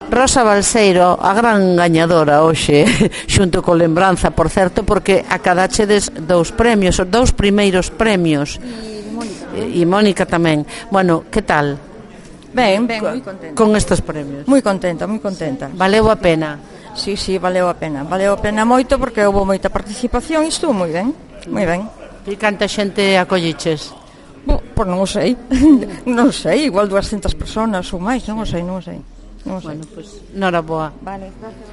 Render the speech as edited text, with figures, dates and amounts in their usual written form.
Rosa Balseiro, a gran gañadora hoxe, xunto co Lembranza, por certo, porque acadachedes 2 premios, os 2 primeiros premios. E Mónica tamén. Bueno, que tal? Ben, moi contenta. Con estes premios. Moi contenta, moi contenta. Valeu a pena? Sí, valeu a pena. Valeu a pena moito porque houve moita participación e estuvo moi ben. Moi ben. E canta xente acolliches? Pois non o sei. Non sei, igual 200 personas ou máis, non o sei. Bueno, pois, noraboa. Vale, gracias.